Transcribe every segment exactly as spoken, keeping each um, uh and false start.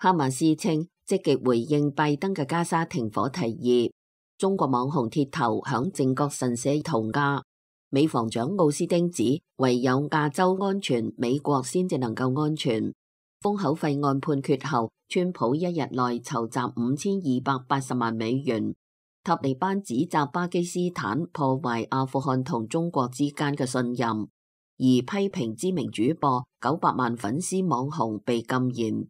哈馬斯稱積極回應拜登嘅加沙停火提議。中國網紅鐵頭響靖國神社塗鴉。美防長奧斯汀指，唯有亞洲安全，美國先至能夠安全。封口費案判決後，川普一日內籌集五千二百八十萬美元。塔利班指責巴基斯坦破壞阿富汗同中國之間嘅信任，而批評知名主播九百萬粉絲網紅被禁言。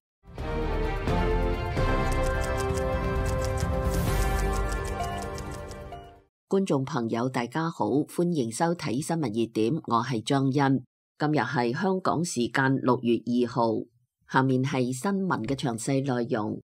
觀眾朋友大家好，歡迎收睇新聞熱點，我係張欣。今日係香港時間六月二號，下面係新聞嘅詳細內容。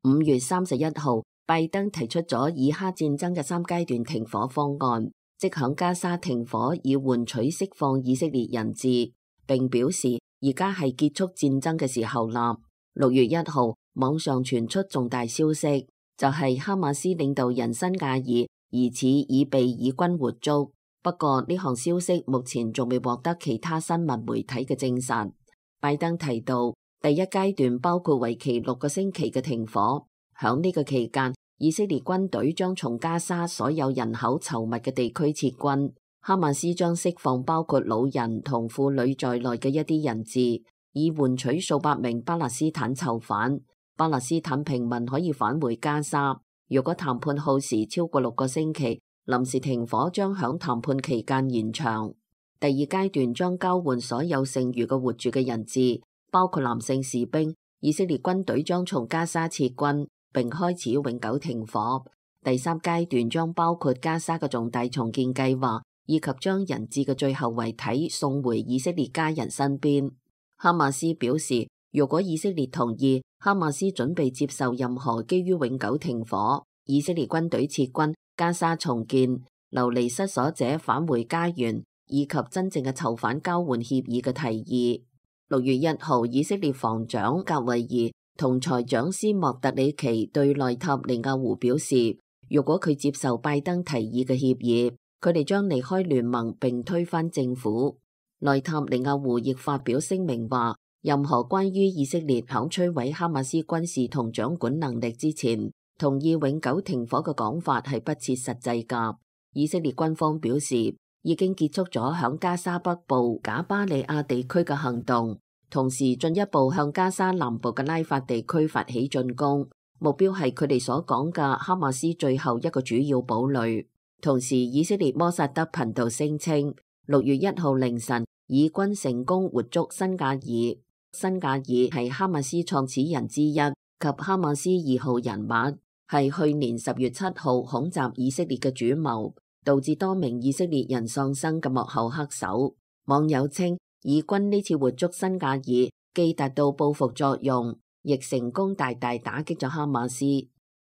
五月三十一號，拜登提出咗以哈戰爭嘅三階段停火方案，即響加沙停火以換取釋放以色列人質，並表示而家係結束戰爭嘅時候啦。六月一號，網上傳出重大消息，就係哈馬斯領導人辛賈爾疑似已被以軍活捉，不過呢項消息目前仲未獲得其他新聞媒體嘅證實。拜登提到，第一階段包括為期六個星期嘅停火，響呢個期間，以色列軍隊將從加沙所有人口稠密嘅地區撤軍，哈馬斯將釋放包括老人同婦女在內嘅一啲人質，以換取數百名巴勒斯坦囚犯。巴勒斯坦平民可以返回加沙。如果談判耗時超過六個星期，臨時停火將響談判期間延長。第二階段將交換所有剩餘嘅活住嘅人質，包括男性士兵。以色列軍隊將從加沙撤軍，並開始永久停火。第三階段將包括加沙嘅重大重建計劃，以及將人質嘅最後遺體送回以色列家人身邊。哈馬斯表示，如果以色列同意，哈馬斯準備接受任何基於永久停火、以色列軍隊撤軍、加沙重建、流離失所者返回家園以及真正嘅囚犯交換協議嘅提議。六月一號，以色列防長格維爾同財長斯莫特里奇對內塔尼亞胡表示，如果佢接受拜登提議嘅協議，佢哋將離開聯盟並推翻政府。內塔尼亞胡亦發表聲明話，任何關於以色列響摧毀哈馬斯軍事同掌管能力之前，同意永久停火嘅講法係不切實際㗎。以色列軍方表示，已經結束咗響加沙北部賈巴利亞地區嘅行動，同時進一步向加沙南部嘅拉法地區發起進攻，目標係佢哋所講嘅哈馬斯最後一個主要堡壘。同時，以色列摩薩德頻道聲稱，六月一號凌晨，以軍成功活捉辛賈爾。辛賈爾係哈馬斯創始人之一及哈馬斯二號人物，係去年十月七號恐襲以色列嘅主謀，導致多名以色列人喪生嘅幕後黑手。網友稱，以軍呢次活捉辛賈爾，既達到報復作用，亦成功大大打擊咗哈馬斯。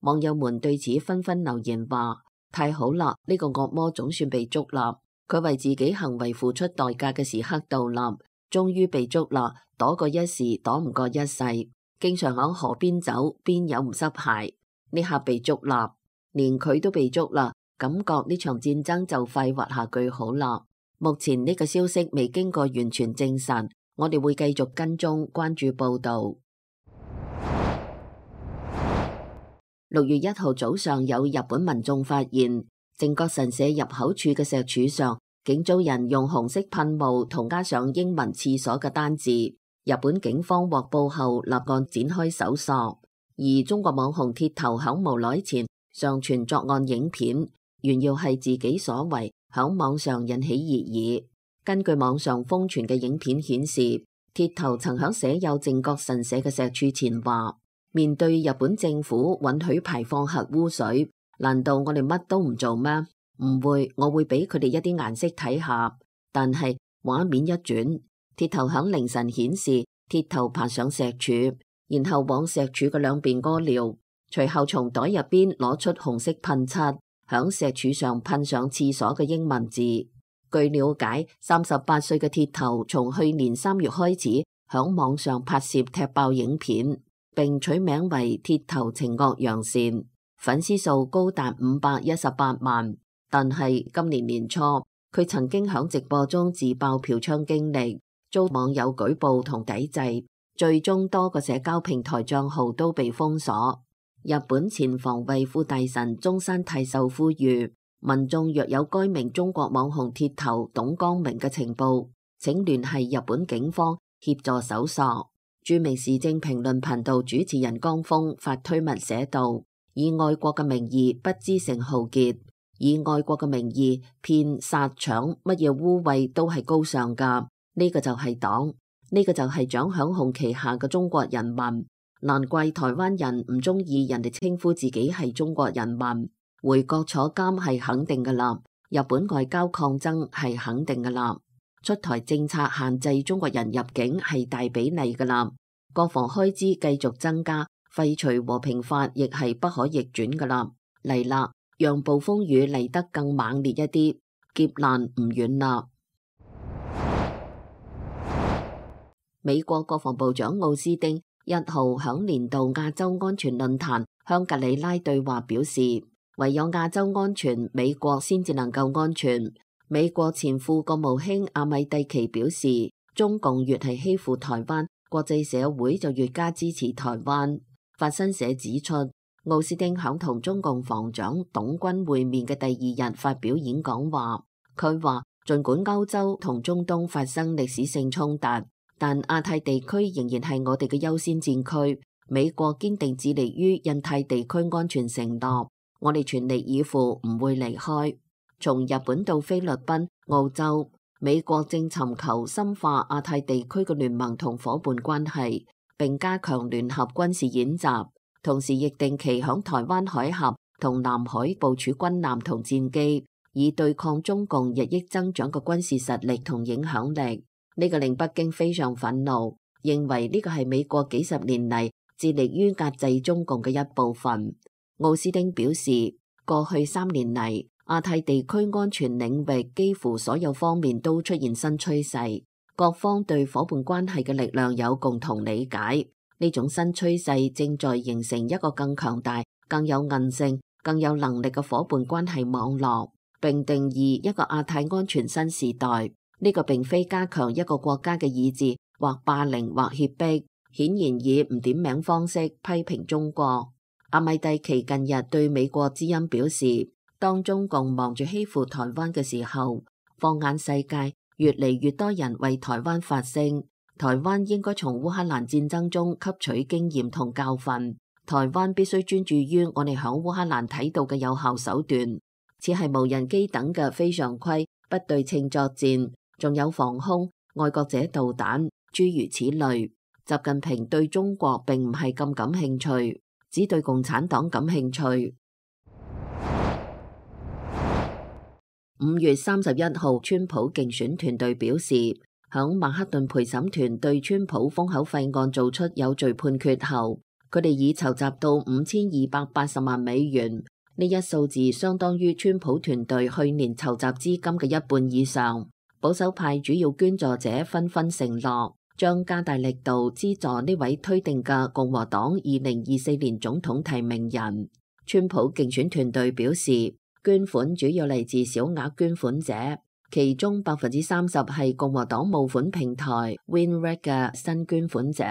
網友們對此紛紛留言話：太好啦，呢個惡魔總算被捉啦！佢為自己行為付出代價嘅時刻到啦，終於被捉啦！躲過一時，躲唔過一世。經常響河邊走，邊有唔濕鞋？呢下被捉啦，連佢都被捉啦，感覺呢場戰爭就快畫下句號啦。目前呢個消息未經過完全證實，我哋會繼續跟蹤關注報道。六月一號早上，有日本民眾發現靖國神社入口處嘅石柱上，竟遭人用紅色噴霧同加上英文廁所嘅單字。日本警方獲報後立案展開搜索，而中國網紅鐵頭響無耐前上傳作案影片，炫耀係自己所為，響網上引起熱議。根據網上瘋傳嘅影片顯示，鐵頭曾響寫有靖國神社嘅石柱前話：面對日本政府允許排放核污水，難道我哋乜都唔做咩？唔會，我會俾佢哋一啲顏色睇下。但係畫面一轉，鐵頭響凌晨顯示鐵頭爬上石柱，然後往石柱嘅兩邊屙尿，隨後從袋入邊攞出紅色噴漆，響石柱上噴上廁所嘅英文字。據了解，三十八歲嘅鐵頭從去年三月開始響網上拍攝踢爆影片，並取名為鐵頭情惡揚善，粉絲數高達五百一十八萬。但係今年年初，佢曾經響直播中自爆嫖娼經歷，遭網友舉報同抵制，最終多個社交平台賬號都被封鎖。日本前防衛副大臣中山泰秀呼籲民眾若有該名中國網紅鐵頭董光明嘅情報，請聯繫日本警方協助搜索。著名時政評論頻道主持人江峰發推文寫道：以愛國嘅名義不知誠浩傑，以愛國嘅名義騙殺搶乜嘢污穢都係高尚噶。呢個就係黨，呢個就係蔣響紅旗下嘅中國人民。難怪台灣人唔中意人哋稱呼自己係中國人民。回國坐監係肯定噶啦，日本外交抗爭係肯定噶啦。出台政策限制中國人入境係大比例噶啦，國防開支繼續增加，廢除和平法亦係不可逆轉噶啦。嚟啦，讓暴風雨嚟得更猛烈一啲，劫難唔遠啦。美國國防部長奧斯汀一號響年度亞洲安全論壇香格里拉對話表示，唯有亞洲安全，美國先至能夠安全。美國前副國務卿阿米蒂奇表示，中共越係欺負台灣，國際社會就越加支持台灣。法新社指出，奧斯汀響同中共防長董軍會面嘅第二日發表演講話，佢話儘管歐洲同中東發生歷史性衝突，但亞太地區仍然係我哋嘅優先戰區。美國堅定致力於印太地區安全承諾，我哋全力以赴，唔會離開。從日本到菲律賓、澳洲，美國正尋求深化亞太地區嘅聯盟同夥伴關係，並加強聯合軍事演習，同時亦定期響台灣海峽同南海部署軍艦同戰機，以對抗中共日益增長嘅軍事實力同影響力。呢個令北京非常憤怒，認為呢個係美國幾十年嚟致力於壓制中共嘅一部分。奧斯汀表示，過去三年嚟，亞太地區安全領域幾乎所有方面都出現新趨勢，各方對夥伴關係嘅力量有共同理解。呢種新趨勢正在形成一個更強大、更有韌性、更有能力嘅夥伴關係網絡，並定義一個亞太安全新時代。呢個並非加強一個國家嘅意志，或霸凌或脅迫，顯然以唔點名方式批評中國。阿米蒂奇近日對美國之音表示，當中共忙住欺負台灣嘅時候，放眼世界，越嚟越多人為台灣發聲。台灣應該從烏克蘭戰爭中吸取經驗同教訓。台灣必須專注於我哋響烏克蘭睇到嘅有效手段，似係無人機等嘅非常規不對稱作戰，仲有防空、愛國者導彈，諸如此類。習近平對中國並唔係咁感興趣，只對共產黨感興趣。五月三十一號，川普競選團隊表示，響曼克頓陪審團對川普封口費案做出有罪判決後，佢哋已籌集到五千二百八十萬美元，呢一數字相當於川普團隊去年籌集資金嘅一半以上。保守派主要捐助者紛紛承諾，將加大力度資助呢位推定嘅共和黨二零二四年總統提名人。川普競選團隊表示，捐款主要嚟自小額捐款者，其中百分之三十係共和黨募款平台 WinRed 嘅新捐款者。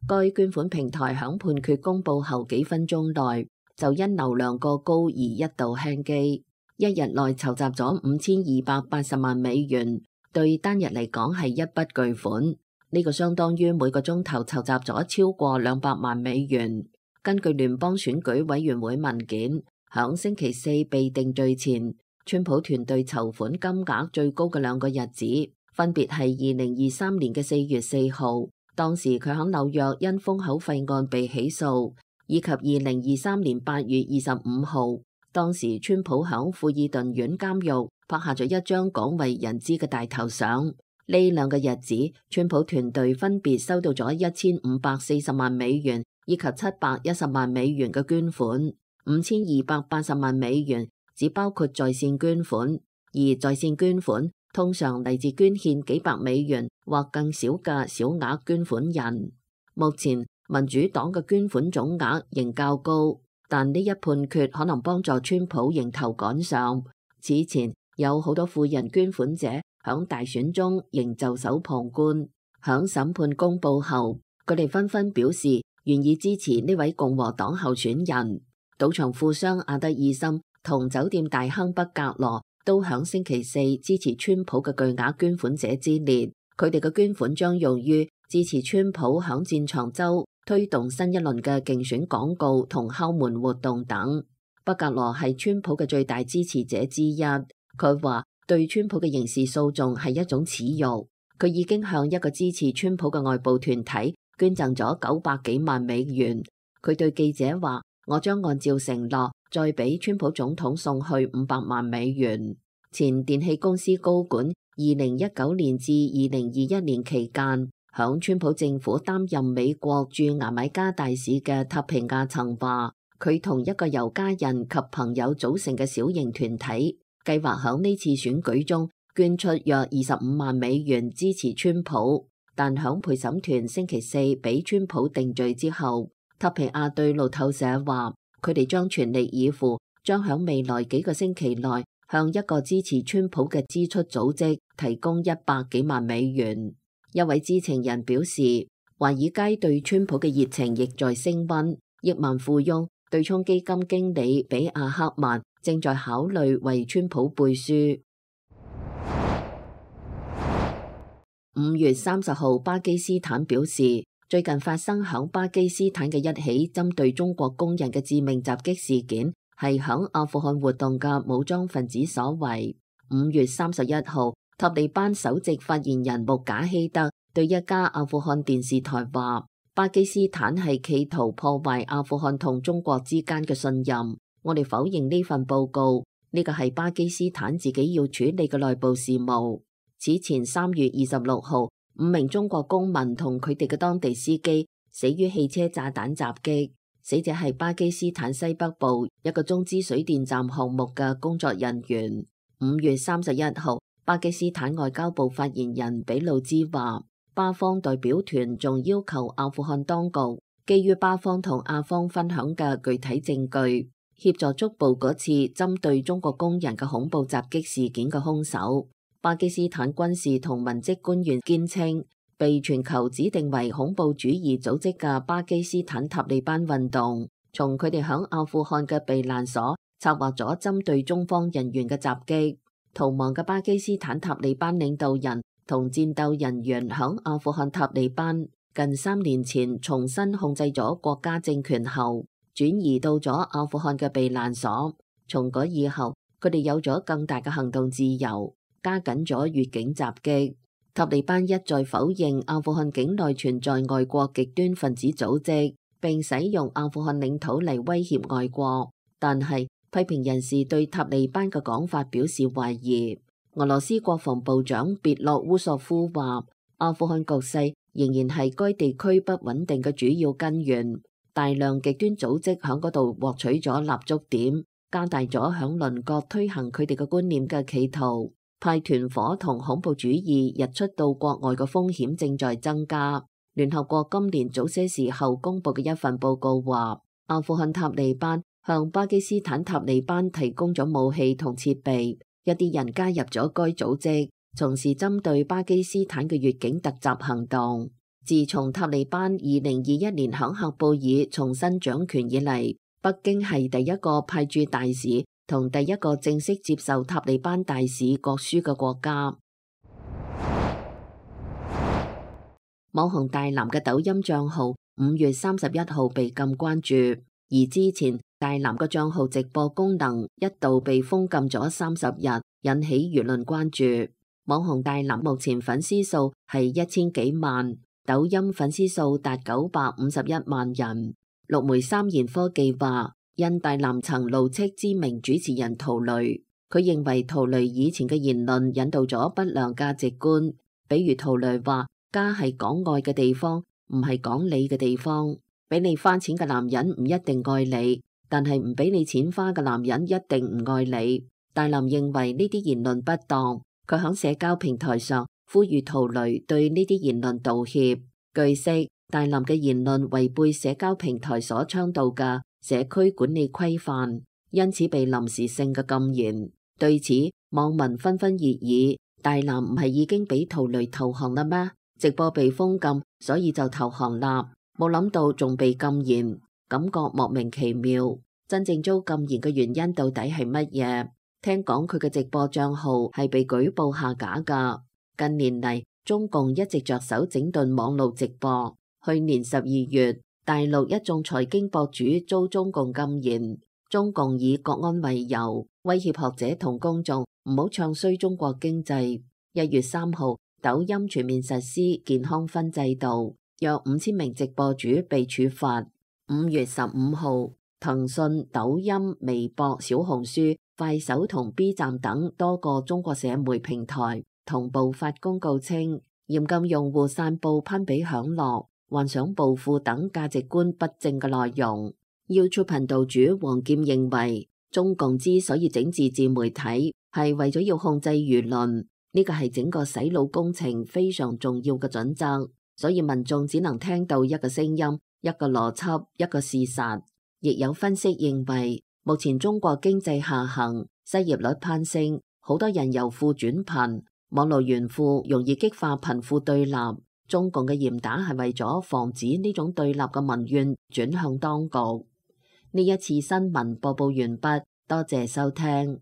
該捐款平台響判決公佈後幾分鐘內就因流量過高而一度輕機，一日內籌集咗五千二百八十萬美元，對單日嚟講係一筆巨款。呢個相當於每個鐘頭籌集咗超過兩百萬美元。根據聯邦選舉委員會文件，響星期四被定罪前，川普團隊籌款金額最高嘅兩個日子，分別係二零二三年嘅四月四號，當時佢響紐約因封口費案被起訴，以及二零二三年八月二十五號，當時川普響富爾頓縣監獄拍下咗一張廣為人知嘅大頭相。呢兩個日子，川普團隊分別收到咗一千五百四十萬美元以及七百一十萬美元嘅捐款。五千二百八十萬美元只包括在線捐款，而在線捐款通常嚟自捐獻幾百美元或更少嘅小額捐款人。目前民主黨嘅捐款總額仍較高，但呢一判決可能幫助川普迎頭趕上。此前有好多富人捐款者響大選中仍袖手旁觀。響審判公佈後，佢哋紛紛表示願意支持呢位共和黨候選人。賭場富商阿德爾森同酒店大亨畢格羅都響星期四支持川普嘅巨額捐款者之列。佢哋嘅捐款將用於支持川普響戰場州推動新一輪嘅競選廣告同敲門活動等。畢格羅係川普嘅最大支持者之一。佢話對川普嘅刑事訴訟係一種恥辱。佢已經向一個支持川普嘅外部團體捐贈咗九百幾萬美元。佢對記者話：我將按照承諾再俾川普總統送去五百萬美元。前電氣公司高管二零一九年至二零二一年期間響川普政府擔任美國駐牙買加大使嘅塔皮亞曾話，佢同一個由家人及朋友組成嘅小型團體計劃響呢次選舉中捐出約二十五萬美元支持川普，但響陪審團星期四俾川普定罪之後，塔皮亞對路透社話，佢哋將全力以赴，將響未來幾個星期內向一個支持川普嘅支出組織提供一百幾萬美元。一位知情人表示，華爾街對川普嘅熱情亦在升溫。億萬富翁對沖基金經理比亞克曼正在考慮為川普背書。五月三十號，巴基斯坦表示，最近發生響巴基斯坦嘅一起針對中國工人嘅致命襲擊事件，係響阿富汗活動嘅武裝分子所為。五月三十一號，塔利班首席發言人穆賈希德對一家阿富汗電視台話，巴基斯坦係企圖破壞阿富汗同中國之間嘅信任。我哋否認呢份報告，呢個係巴基斯坦自己要處理嘅內部事務。此前三月二十六號，五名中國公民同佢哋嘅當地司機死於汽車炸彈襲擊，死者係巴基斯坦西北部一個中資水電站項目嘅工作人員。五月三十一號，巴基斯坦外交部發言人比魯茲話，巴方代表團仲要求阿富汗當局基於巴方同阿方分享嘅具體證據，協助捉捕嗰次針對中國工人嘅恐怖襲擊事件嘅兇手。巴基斯坦軍事同文職官員堅稱，被全球指定為恐怖主義組織嘅巴基斯坦塔利班運動，從佢哋響阿富汗嘅避難所策劃咗針對中方人員嘅襲擊。逃亡嘅巴基斯坦塔利班領導人同戰鬥人員響阿富汗塔利班近三年前重新控制咗國家政權後，轉移到咗阿富汗嘅避難所。從嗰以後，佢哋有咗更大嘅行動自由，加緊咗越境襲擊。塔利班一再否認阿富汗境內存在外國極端分子組織，並使用阿富汗領土嚟威脅外國。但係批評人士對塔利班嘅講法表示懷疑。俄羅斯國防部長別洛烏索夫話，阿富汗局勢仍然係該地區不穩定嘅主要根源。大量極端組織響嗰度獲取咗立足點，加大咗響鄰國推行佢哋嘅觀念嘅企圖。派團伙同恐怖主義日出到國外嘅風險正在增加。聯合國今年早些時候公布嘅一份報告話，阿富汗塔利班向巴基斯坦塔利班提供咗武器同設備，一啲人加入咗該組織，從事針對巴基斯坦嘅越境突襲行動。自從塔利班二零二一年響喀布爾重新掌權以嚟，北京係第一個派駐大使同第一個正式接受塔利班大使國書嘅國家。網紅大藍嘅抖音賬號五月三十一號被禁關注，而之前大藍嘅賬號直播功能一度被封禁咗三十日，引起輿論關注。網紅大藍目前粉絲數係一千幾萬，抖音粉絲數達九百五十一萬人。陸媒三言科技話，因大藍曾怒斥知名主持人陶雷，佢認為陶雷以前嘅言論引導咗不良價值觀，比如陶雷話家係講愛嘅地方，唔係講理嘅地方。俾你花錢嘅男人唔一定愛你，但係唔俾你錢花嘅男人一定唔愛你。大藍認為呢啲言論不當，佢喺社交平台上呼籲陶雷對呢啲言論道歉。據悉，大藍嘅言論違背社交平台所倡導嘅社區管理規範，因此被臨時性嘅禁言。對此，網民紛紛熱議：大藍唔係已經俾陶雷投降啦咩？直播被封禁，所以就投降啦。冇諗到仲被禁言，感覺莫名其妙。真正遭禁言嘅原因到底係乜嘢？聽講佢嘅直播賬號係被舉報下架㗎。近年嚟，中共一直着手整頓網絡直播。去年十二月，大陸一眾財經博主遭中共禁言，中共以國安為由，威脅學者同公眾唔好唱衰中國經濟。一月三號，抖音全面實施健康分制度，約五千名直播主被處罰。五月十五號，騰訊、抖音、微博、小紅書、快手同 B 站等多個中國社媒平台同步發公告稱，嚴禁用戶散布攀比享樂、幻想暴富等價值觀不正嘅內容。YouTube 頻道主黃劍認為，中共之所以整自治媒體，係為咗要控制輿論，呢個係整個洗腦工程非常重要嘅準則。所以民眾只能聽到一個聲音、一個邏輯、一個事實。亦有分析認為，目前中國經濟下行，失業率攀升，好多人由富轉貧，網絡炫富容易激化貧富對立。中共嘅嚴打係為咗防止呢種對立嘅民怨轉向當局。呢一次新聞播報完畢，多謝收聽。